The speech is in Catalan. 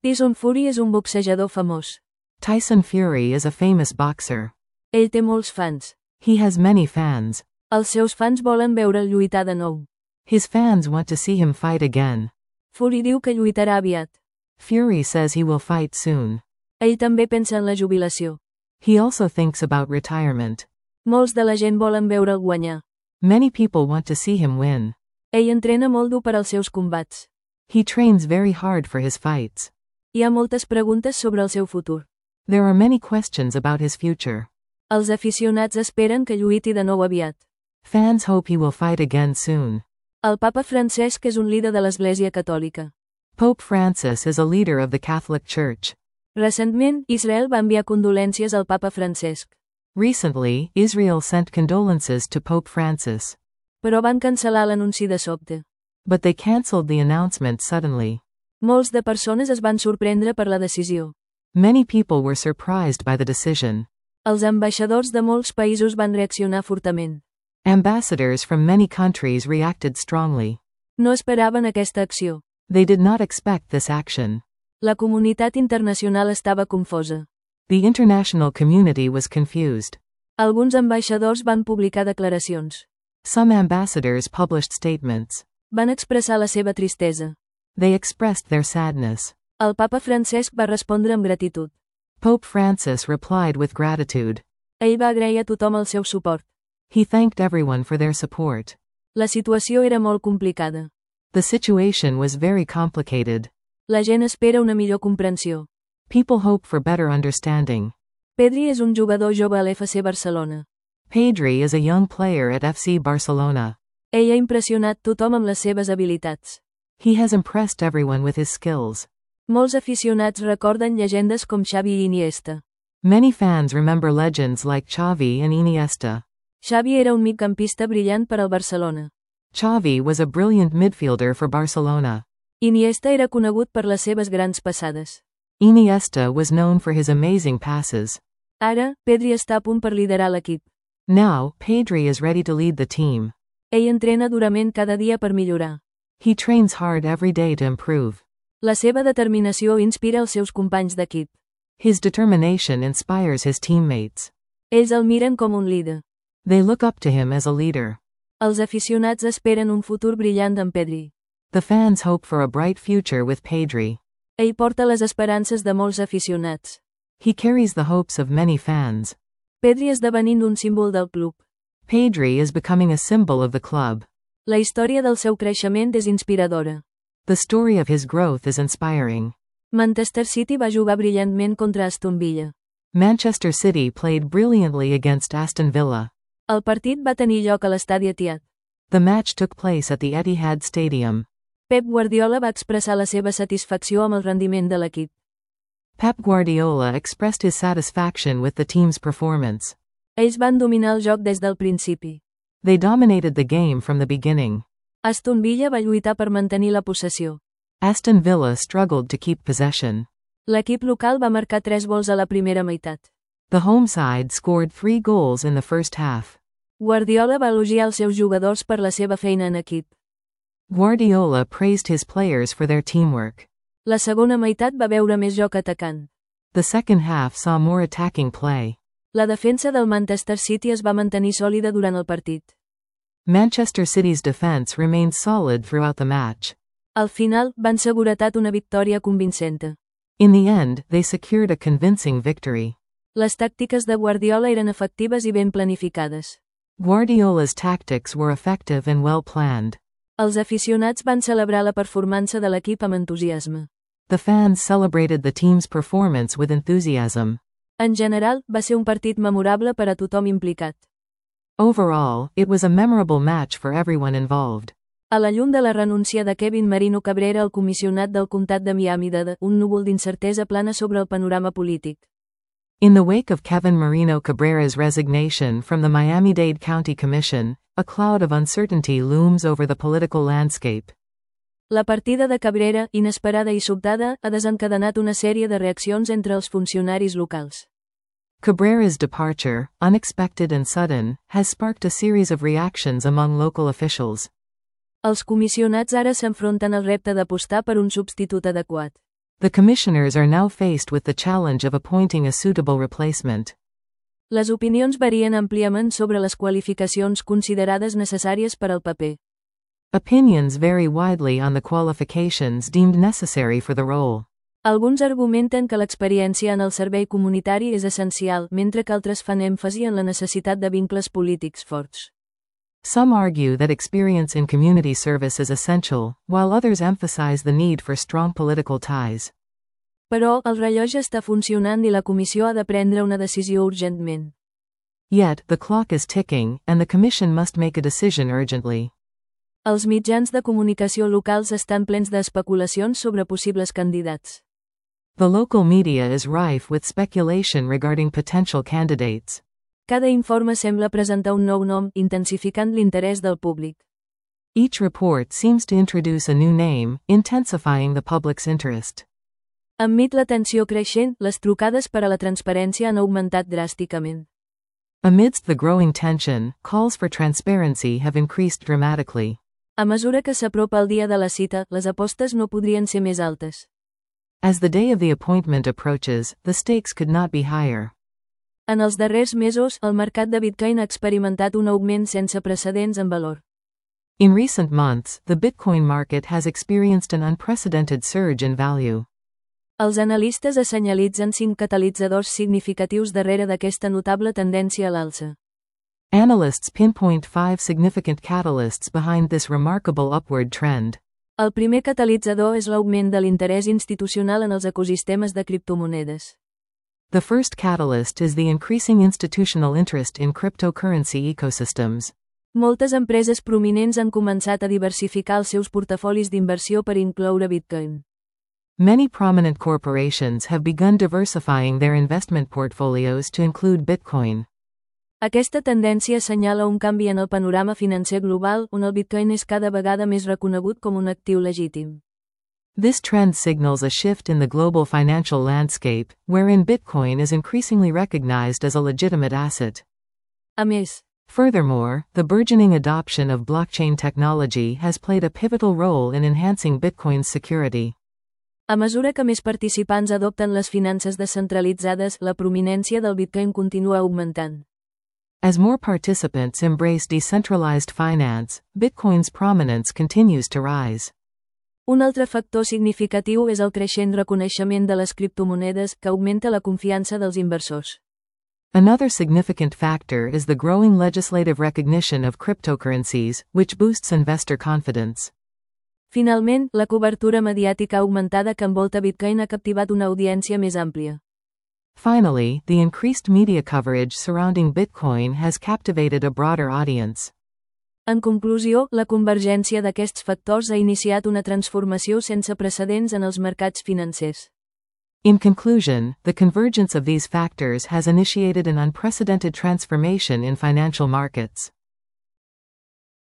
Tyson Fury és un boxejador famós. Tyson Fury is a famous boxer. Ell té molts fans. He has many fans. Els seus fans volen veure'l lluitar de nou. His fans want to see him fight again. Fury diu que lluitarà aviat. Fury says he will fight soon. Ell també pensa en la jubilació. He also thinks about retirement. Molts de la gent volen veure'l guanyar. Many people want to see him win. Ell entrena molt dur per als seus combats. He trains very hard for his fights. Hi ha moltes preguntes sobre el seu futur. There are many questions about his future. Els aficionats esperen que lluiti de nou aviat. Fans hope he will fight again soon. El papa Francesc és un líder de l'Església Catòlica. Pope Francis is a leader of the Catholic Church. Recentment, Israel va enviar condolències al papa Francesc. Recently, Israel sent condolences to Pope Francis. Però van cancel·lar l'anunci de sobte. But they cancelled the announcement suddenly. Molts de persones es van sorprendre per la decisió. Many people were surprised by the decision. Els ambaixadors de molts països van reaccionar fortament. Ambassadors from many countries reacted strongly. No esperaven aquesta acció. They did not expect this action. La comunitat internacional estava confosa. The international community was confused. Alguns ambaixadors van publicar declaracions. Some ambassadors published statements. Van expressar la seva tristesa. They expressed their sadness. El papa Francesc va respondre amb gratitud. Pope Francis replied with gratitude. Ell va agrair a tothom el seu suport. He thanked everyone for their support. La situació era molt complicada. The situation was very complicated. La gent espera una millor comprensió. People hope for better understanding. Pedri és un jugador jove a l'FC Barcelona. Pedri is a young player at FC Barcelona. Ell ha impressionat tothom amb les seves habilitats. He has impressed everyone with his skills. Molts aficionats recorden llegendes com Xavi i Iniesta. Many fans remember legends like Xavi and Iniesta. Xavi era un migcampista brillant per al Barcelona. Xavi was a brilliant midfielder for Barcelona. Iniesta era conegut per les seves grans passades. Iniesta was known for his amazing passes. Ara, Pedri està a punt per liderar l'equip. Now, Pedri is ready to lead the team. Ell entrena durament cada dia per millorar. He trains hard every day to improve. La seva determinació inspira els seus companys d'equip. His determination inspires his teammates. Ells el miren com un líder. They look up to him as a leader. Els aficionats esperen un futur brillant amb Pedri. The fans hope for a bright future with Pedri. Ell porta les esperances de molts aficionats. He carries the hopes of many fans. Pedri esdevenint un símbol del club. Pedri is becoming a symbol of the club. La història del seu creixement és inspiradora. The story of his growth is inspiring. Manchester City va jugar brillantment contra Aston Villa. Manchester City played brilliantly against Aston Villa. El partit va tenir lloc a l'estadi Etihad. The match took place at the Etihad Stadium. Pep Guardiola va expressar la seva satisfacció amb el rendiment de l'equip. Pep Guardiola expressed his satisfaction with the team's performance. Ells van dominar el joc des del principi. They dominated the game from the beginning. Aston Villa va lluitar per mantenir la possessió. Aston Villa struggled to keep possession. L'equip local va marcar 3 gols a la primera meitat. The home side scored 3 goals in the first half. Guardiola va elogiar els seus jugadors per la seva feina en equip. Guardiola praised his players for their teamwork. La segona meitat va veure més joc atacant. The second half saw more attacking play. La defensa del Manchester City es va mantenir sòlida durant el partit. Manchester City's defense remained solid throughout the match. Al final, van seguretat una victòria convincente. In the end, they secured a convincing victory. Les tàctiques de Guardiola eren efectives i ben planificades. Guardiola's tactics were effective and well planned. Els aficionats van celebrar la performança de l'equip amb entusiasme. The fans celebrated the team's performance with enthusiasm. En general, va ser un partit memorable per a tothom implicat. Overall, it was a memorable match for everyone involved. A la llum de la renúncia de Kevin Marino Cabrera al comissionat del comtat de Miami un núvol d'incertesa plana sobre el panorama polític. In the wake of Kevin Marino Cabrera's resignation from the Miami-Dade County Commission, a cloud of uncertainty looms over the political landscape. La partida de Cabrera, inesperada i sobtada, ha desencadenat una sèrie de reaccions entre els funcionaris locals. Cabrera's departure, unexpected and sudden, has sparked a series of reactions among local officials. Els comissionats ara s'enfronten al repte d'apostar per un substitut adequat. The commissioners are now faced with the challenge of appointing a suitable replacement. Les opinions varien àmpliament sobre les qualificacions considerades necessàries per al paper. Opinions vary widely on the qualifications deemed necessary for the role. Alguns argumenten que l'experiència en el servei comunitari és essencial, mentre que altres fan èmfasi en la necessitat de vincles polítics forts. Some argue that experience in community service is essential, while others emphasize the need for strong political ties. Però, el rellotge està funcionant i la comissió ha de prendre una decisió urgentment. Yet, the clock is ticking, and the Commission must make a decision urgently. Els mitjans de comunicació locals estan plens d'especulacions sobre possibles candidats. The local media is rife with speculation regarding potential candidates. Cada informe sembla presentar un nou nom, intensificant l'interès del públic. Each report seems to introduce a new name, intensifying the public's interest. Enmig la tensió creixent, les trucades per a la transparència han augmentat dràsticament. Amidst the growing tension, calls for transparency have increased dramatically. A mesura que s'apropa el dia de la cita, les apostes no podrien ser més altes. As the day of the appointment approaches, the stakes could not be higher. En els darrers mesos, el mercat de Bitcoin ha experimentat un augment sense precedents en valor. In recent months, the Bitcoin market has experienced an unprecedented surge in value. Els analistes assenyalitzen 5 catalitzadors significatius darrere d'aquesta notable tendència a l'alça. Analysts pinpoint 5 significant catalysts behind this remarkable upward trend. El primer catalitzador és l'augment de l'interès institucional en els ecosistemes de criptomonedes. The first catalyst is the increasing institutional interest in cryptocurrency ecosystems. Moltes empreses prominents han començat a diversificar els seus portafolis d'inversió per incloure Bitcoin. Many prominent corporations have begun diversifying their investment portfolios to include Bitcoin. Aquesta tendència assenyala un canvi en el panorama financer global, on el Bitcoin és cada vegada més reconegut com un actiu legítim. This trend signals a shift in the global financial landscape, wherein Bitcoin is increasingly recognized as a legitimate asset. A més, Furthermore, the burgeoning adoption of blockchain technology has played a pivotal role in enhancing Bitcoin's security. a mesura que més participants adopten les finances descentralitzades, la prominència del Bitcoin continua augmentant. As more participants embrace decentralized finance, Bitcoin's prominence continues to rise. Un altre factor significatiu és el creixent reconeixement de les criptomonedes, que augmenta la confiança dels inversors. Another significant factor is the growing legislative recognition of cryptocurrencies, which boosts investor confidence. Finalment, la cobertura mediàtica augmentada que envolta Bitcoin ha captivat una audiència més àmplia. Finally, the increased media coverage surrounding Bitcoin has captivated a broader audience. En conclusió, la convergència d'aquests factors ha iniciat una transformació sense precedents en els mercats financers. In conclusion, the convergence of these factors has initiated an unprecedented transformation in financial markets.